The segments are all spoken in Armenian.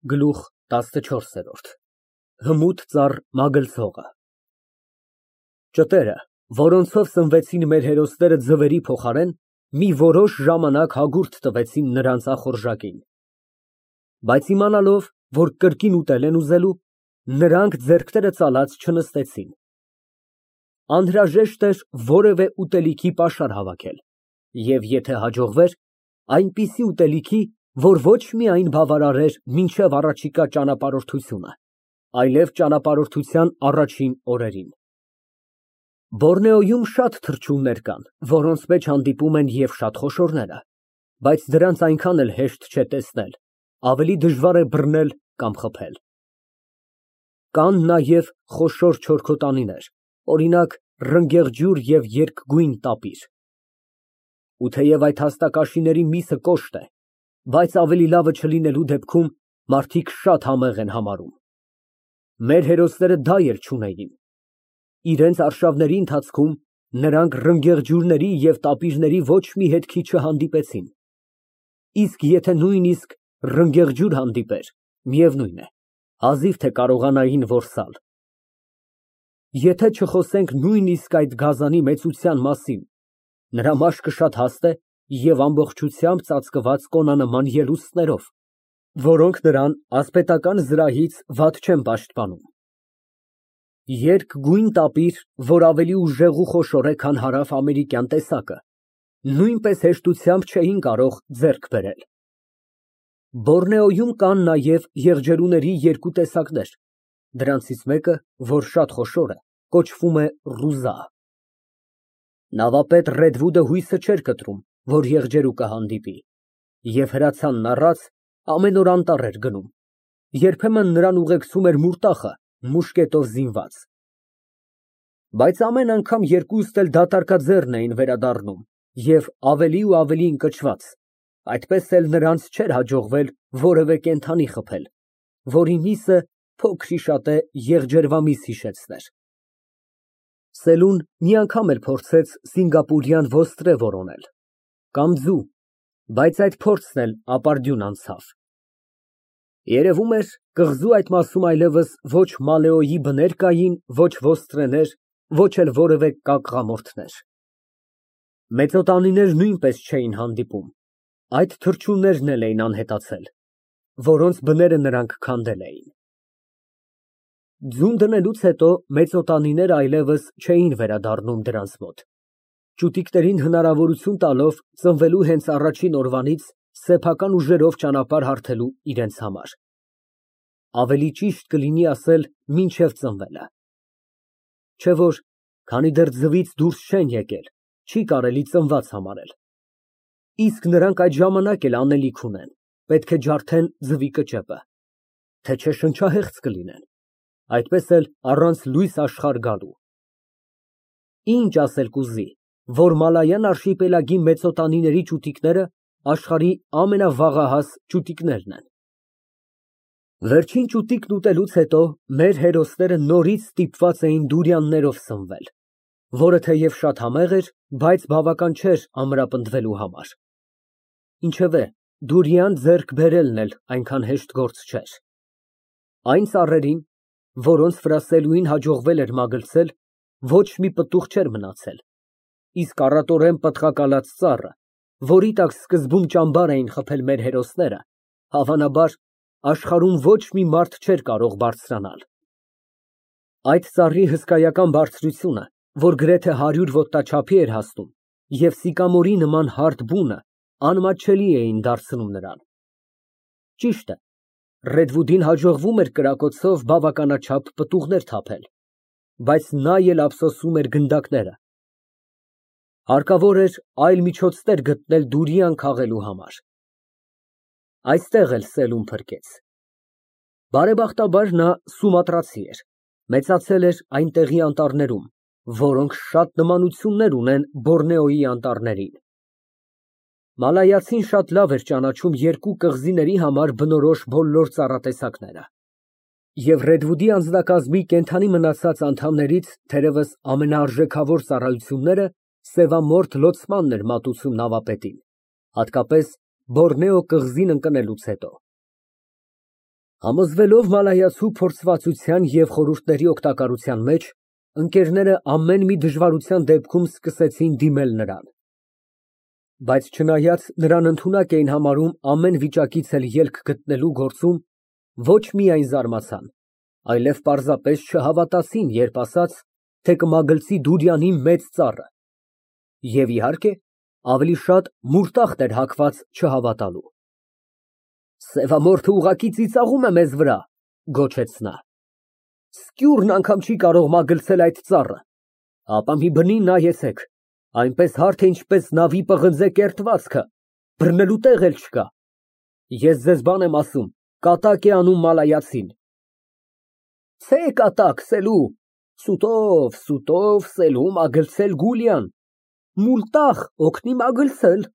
Գլուխ ՏԱՍՆՉՈՐՍԵՐՈՐԴ Հմուտ ծառ մագլցողը Ճտերը, որոնցով սնվեցին մեր հերոսները ձվերի փոխարեն, մի որոշ ժամանակ հագուրդ տվեցին նրանց ախորժակին, բայց իմանալով, որ կրկին ուտել են ուզելու, նրանք ձեռքները ծալած չնստեցին։ Անհրաժեշտ էր որևէ ուտելիքի պաշար հավաքել և եթե հաջողվեր, այնպիսի ուտելիքի, որ ոչ միայն բավարարեր մինչև առաջիկա ճանապարհորդությունը, այլև ճանապարհորդության առաջին օրերին։ Բորնեոյում շատ թռչուններ կան, որոնց մեջ հանդիպում են և շատ խոշորները, բայց դրանց այնքան էլ հեշտ չէ տեսնել, ավելի դժվար է բռնել կամ խփել։ Կան նաև խոշոր չորքոտանիներ, օրինակ, ռնգեղջյուր և երկգույն տապիր։ Ու թեև այդ հաստակաշիների միսը կոշտ է, բայց ավելի լավը չլինելու դեպքում մարդիկ շատ համեղ են համարում։ Մեր հերոսները դա էլ չունեին։ Իրենց արշավների ընթացքում նրանք ռնգեղջյուրների և տապիրների ոչ մի հետքի չհանդիպեցին, իսկ եթե նույնիսկ ռնգեղջյուր հանդիպեր, միևնույն է, հազիվ թե կարողանային որսալ։ Եթե չխոսենք նույնիսկ այդ գազանի մեծության մասին, նրա մաշկը շատ հաստ է և ամբողջությամբ ծածկված կոնանման ելուստներով, որոնք նրան ասպետական զրահից վատ չեն պաշտպանում։ Երկգույն տապիր, որ ավելի ուժեղ ու խոշոր է, քան հարավ֊ամերիկյան տեսակը, նույնպես հեշտությամբ չէին կարող ձեռք բերել։ Բորնեոյում կան նաև եղջերուների երկու տեսակներ, դրանցից մեկը, որ շատ խոշոր է, կոչվում է ռուզա։ Նավապետ Ռեդվուդը հույսը չէր կտրում, որ եղջերուկը հանդիպի, և հրացանն առած ամեն օր անտառ էր գնում, երբեմն նրան ուղեկցում էր մուրտախը մուշկետով զինված։ Բայց ամեն անգամ երկուսն էլ դատարկաձեռն էին վերադառնում և ավելի ու ավելի ընկճված, այդպես էլ նրանց չէր հաջողվել որևէ կենդանի խփել, որի միսը փոքր-ի-շատե եղջերվամիս հիշեցներ։ Սելուն մի անգամ էլ փորձեց սինգապուրյան ոստրե որոնել կամ ձու, բայց այդ փորձն էլ ապարդյուն անցավ։ Երևում էր, կղզու այդ մասում այլևս ոչ մալեոյի բներ կային, ոչ ոստրեներ, ոչ էլ որևէ կակղամորթներ։ Մեծոտանիներ նույնպես չէին հանդիպում, այդ թռչուններն էլ էին անհետացել, որոնց բները նրանք քանդել էին։ Ձուն դնելուց հետո մեծոտանիներն այլևս չէին վերադառնում դրանց մոտ, ճուտիկներին հնարավորություն տալով ծնվելու հենց առաջին օրվանից սեփական ուժերով ճանապարհ հարթելու իրենց համար։ Ավելի ճիշտ կլինի ասել մինչև ծնվելը։ Չէ որ, քանի դեռ ձվից դուրս չեն եկել, չի կարելի ծնված համարել։ Իսկ նրանք այդ ժամանակ էլ անելիք ունեն, պետք է ջարդեն ձվի կճեպը, թե չէ շնչահեղձ կլինեն, այդպես էլ առանց լույս աշխարհ գալու։ Ինչ ասել կուզի, որ մալայան արշիպելագի մեծոտանիների ճուտիկները աշխարհի ամենավաղահաս ճուտիկներն են։ Վերջին ճուտիկն ուտելուց հետո մեր հերոսները նորից ստիպված էին դուրյաններով սնվել, որը թեև շատ համեղ էր, բայց բավական չէր ամրապնդվելու համար։ Ինչևէ, դուրյան ձեռք բերելն էլ այնքան հեշտ գործ չէր։ Այն ծառերին, որոնց վրա Սելուին հաջողվել էր մագլցել, ոչ մի պտուղ չէր մնացել, իսկ առատորեն պտղակալած ծառը, որի տակ սկզբում ճամբար էին խփել մեր հերոսները, հավանաբար աշխարհում ոչ մի մարդ չէր կարող բարձրանալ։ Այդ ծառի հսկայական բարձրությունը, որ գրեթե 100 ոտնաչափի էր հասնում, և սիկամորի նման հարթ բունը անմատչելի էին դարձնում նրան։ Ճիշտ է, Ռեդվուդին հաջողվում էր կրակոցով բավականաչափ պտուղներ թափել, բայց նա էլ ափսոսում էր գնդակները։ Հարկավոր էր այլ միջոցներ գտնել դուրյան քաղելու համար։ Այստեղ էլ Սելուն փրկեց։ Բարեբախտաբար նա սումատրացի էր, մեծացել էր այնտեղի անտառներում, որոնք շատ նմանություններ ունեն Բորնեոյի անտառներին։ Մալայացին շատ լավ էր ճանաչում երկու կղզիների համար բնորոշ բոլոր ծառատեսակները։ Եվ Ռեդվուդի անձնակազմի կենդանի մնացած անդամներից թերևս ամենաարժեքավոր ծառայությունները սևամորթ լոցմանն էր մատուցում նավապետին, հատկապես Բորնեո կղզին ընկնելուց հետո։ Համոզվելով մալայացու փորձվածության և խորհուրդների օգտակարության մեջ, ընկերները ամեն մի դժվարության դեպքում սկսեցին դիմել նրան։ Բայց չնայած նրան ընդունակ էին համարում ամեն վիճակից էլ ելք գտնելու գործում, ոչ միայն զարմացան, այլև պարզապես չհավատացին, երբ ասաց, թե կմագլցի Դուրյանի մեծ ծառը, և, իհարկե, ավելի շատ մուրտախտ էր հագված չհավատալու։ Սևամորթը ուղղակի ծիծաղում է մեզ վրա, գոչեց նա։ Սկյուրն անգամ չի կարող մագլցել այդ ծառը, ապա մի բնին նայեցեք, այնպես հարթ է, ինչպես նավի պղնձե կերտվածքը, բռնելու տեղ էլ չկա։ Ես ձեզ բան եմ ասում, կատակ է անում մալայացին։ Ցե կատակ, Սելու, սուտով Սելու մագլցել Գուլիան, մուլտախ օգնի մագլցել։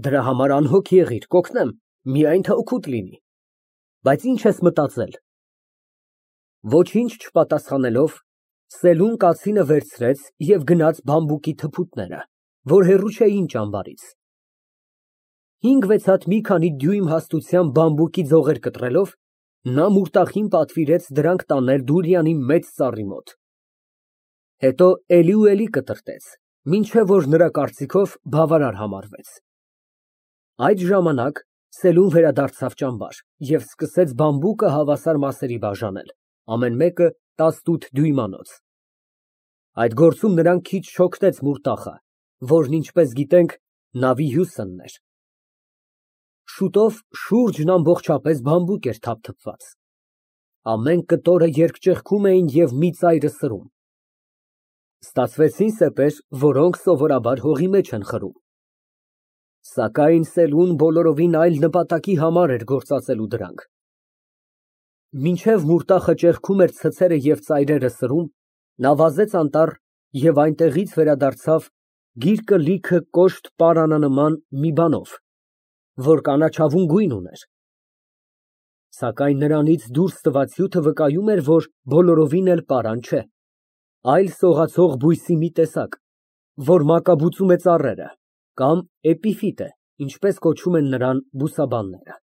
Դրա համար անհոգ եղիր, կօգնեմ, միայն թե օգուտ լինի։ Բայց ինչ ես մտածել։ Ոչինչ չպատասխանելով, Սելուն կացինը վերցրեց և գնաց բամբուկի թփուտները, որ հեռու չէին ճամբարից։ 5-6 հատ մի քանի դյույմ հաստությամբ բամբուկի ձողեր կտրելով, նա մուրտախին պատվիրեց դրանք տանել Դուրյանի մեծ ծառի մոտ։ Հետո էլի ու էլի կտրտեց, մինչև որ նրա կարծիքով բավարար համարվեց։ Այդ ժամանակ Սելուն վերադարձավ ճամբար և սկսեց բամբուկը հավասար մասերի բաժանել, ամեն մեկը 18 դյույմանոց։ Այդ գործում նրան քիչ շօգնեց մուրտախը, որն, ինչպես գիտենք, նավի հյուսնն էր։ Շուտով շուրջն ամբողջապես բամբուկ էր թափթփված։ Ամեն կտորը երկճեղքում էին և մի ծայրը սրում։ Ստացվեցին սեպեր, որոնք սովորաբար հողի մեջ են խրում։ Սակայն Սելուն բոլորովին այլ նպատակի համար էր գործածելու դրանք։ Մինչև մուրտախը ճեղքում էր ցցերը և ծայրերը սրում, նա վազեց անտառ և այնտեղից վերադարձավ գիրկը լիքը կոշտ պարանանման մի բանով, որ կանաչավուն գույն ուներ։ Սակայն նրանից դուրս տված հյութը վկայում էր, որ բոլորովին էլ պարան չէ, այլ սողացող բույսի մի տեսակ, որ մակաբուծում է ծառերը, կամ էպիֆիտ է, ինչպես կոչում են նրան բուսաբանները։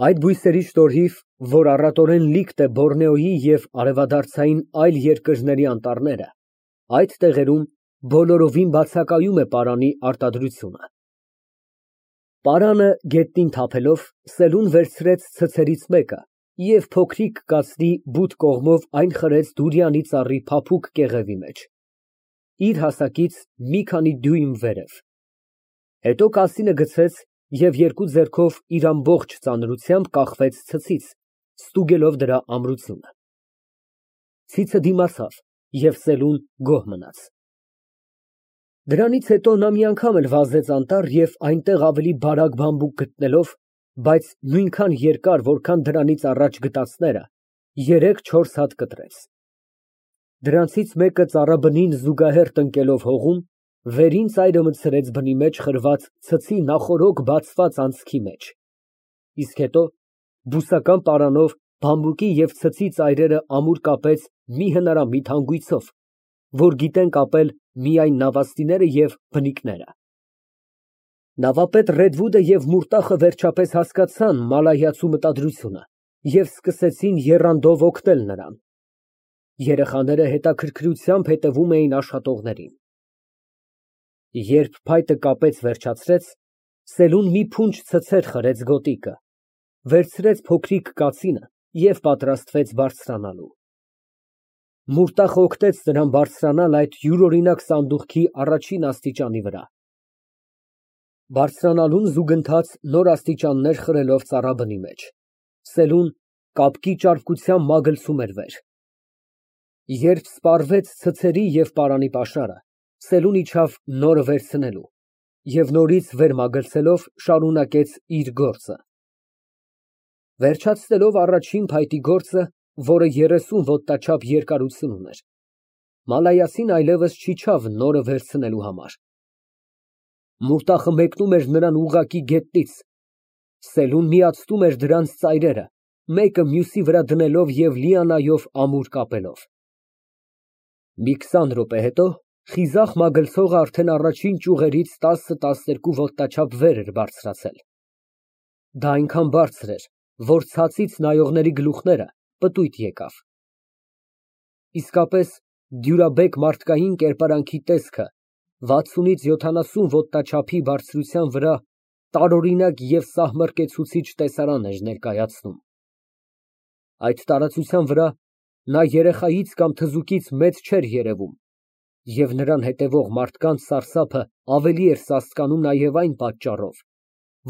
Այդ բույսերի շնորհիվ, որ առատորեն լիքտ է Բորնեոյի և արևադարձային այլ երկրների անտառները, այդ տեղերում բոլորովին բացակայում է պարանի արտադրությունը։ Պարանը գետնին թափելով, Սելուն վերցրեց ցցերից մեկը և փոքրիկ կացնի բութ կողմով այն խրեց Դուրյանի ծառի փափուկ կեղևի մեջ, իր հասակից մի քանի դյույմ վերև։ Հետո կասինը գցեց և երկու ձեռքով իր ամբողջ ծանրությամբ կախվեց ցցից, ստուգելով դրա ամրությունը։ Ցիցը դիմացավ, և Սելուն գոհ մնաց։ Դրանից հետո նա մի անգամ էլ վազեց անտառ և այնտեղ ավելի բարակ բամբուկ գտնելով, բայց նույնքան երկար, որքան դրանից առաջ գտածները, 3-4 հատ կտրեց։ Դրանցից մեկը ծառաբնին զուգահեռ տնկելով հողում, վերին ծայրը մտցրեց բնի մեջ խրված ցցի նախօրոք բացված անցքի մեջ, իսկ հետո բուսական պարանով բամբուկի և ցցի ծայրերը ամուր կապեց մի հնարամիտ հանգույցով, որ գիտեն կապել միայն նավաստիները և բնիկները։ Նավապետ Ռեդվուդը և մուրտախը վերջապես հասկացան մալայացու մտադրությունը և սկսեցին եռանդով օգնել նրան։ Երեխաները հետաքրքրությամբ հետևում էին աշխատողներին։ Երբ փայտը կապեց վերջացրեց, Սելուն մի փունջ ցցեր խրեց գոտիկը, վերցրեց փոքրիկ կացինը և պատրաստվեց բարձրանալու։ Մուրտախը օգնեց նրան բարձրանալ այդ յուրօրինակ սանդուղքի առաջին աստիճանի վրա։ Բարձրանալուն զուգընթաց նոր աստիճաններ խրելով ծառաբնի մեջ, Սելուն կապկի ճարպկությամբ մագլցում էր վեր։ Երբ սպառվեց ցցերի և պարանի պաշարը, Սելուն իջավ նորը վերցնելու և նորից վեր մագլցելով շարունակեց իր գործը։ Վերջացնելով առաջին փայտի գործը, որը 30 ոտնաչափ երկարություն ուներ, մալայացին այլևս չիջավ նորը վերցնելու համար։ Մուրտախը մեկնում էր նրան ուղղակի գետնից, Սելուն միացնում էր դրանց ծայրերը, մեկը մյուսի վրա դնելով և լիանայով ամուր կապելով։ Մի 20 րոպե հետո խիզախ մագլցողը արդեն առաջին ճյուղերից 10-12 ոտնաչափ վեր էր բարձրացել։ Դա այնքան բարձր էր, որ ցածից նայողների գլուխները պտույտ եկավ։ Իսկապես դյուրաբեկ մարդկային կերպարանքի տեսքը 60-ից 70 ոտնաչափի բարձրության վրա տարօրինակ և սահմռկեցուցիչ տեսարան էր ներկայացնում։ Այդ տարածության վրա նա երեխայից կամ թզուկից մեծ չէր երևում, և նրան հետևող մարդկանց սարսափը ավելի էր սաստկանում նաև այն պատճառով,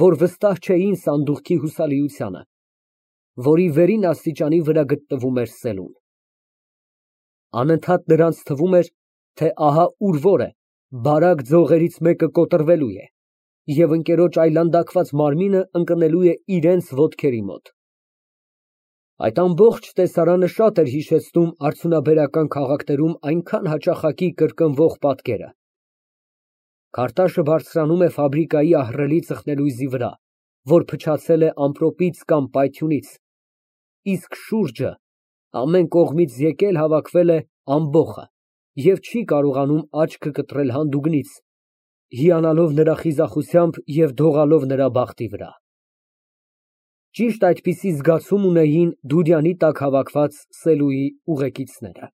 որ վստահ չէին սանդուղքի հուսալիությանը, որի վերին աստիճանի վրա գտնվում էր սելուն։ Անընդհատ նրանց թվում էր, թե ահա ուր որ է բարակ ձողերից մեկը կոտրվելու է, և ընկերոջ այլանդակված մարմինը ընկնելու է իրենց ոտքերի մոտ։ Այդ ամբողջ տեսարանը շատ էր հիշեցնում արդյունաբերական քաղաքներում այնքան հաճախակի կրկնվող պատկերը. քարտաշը բարձրանում է ֆաբրիկայի ահռելի ծխնելույզի վրա, որ փչացել է ամպրոպից կամ պայթյունից, իսկ շուրջը ամեն կողմից եկել հավաքվել է ամբոխը և չի կարողանում աչքը կտրել հանդուգնից, հիանալով նրա խիզախությամբ և դողալով նրա բախտի վրա։ Ճիշտ այդպիսի զգացում ունեին Դուրյանի տակ հավաքված Սելուի ուղեկիցները։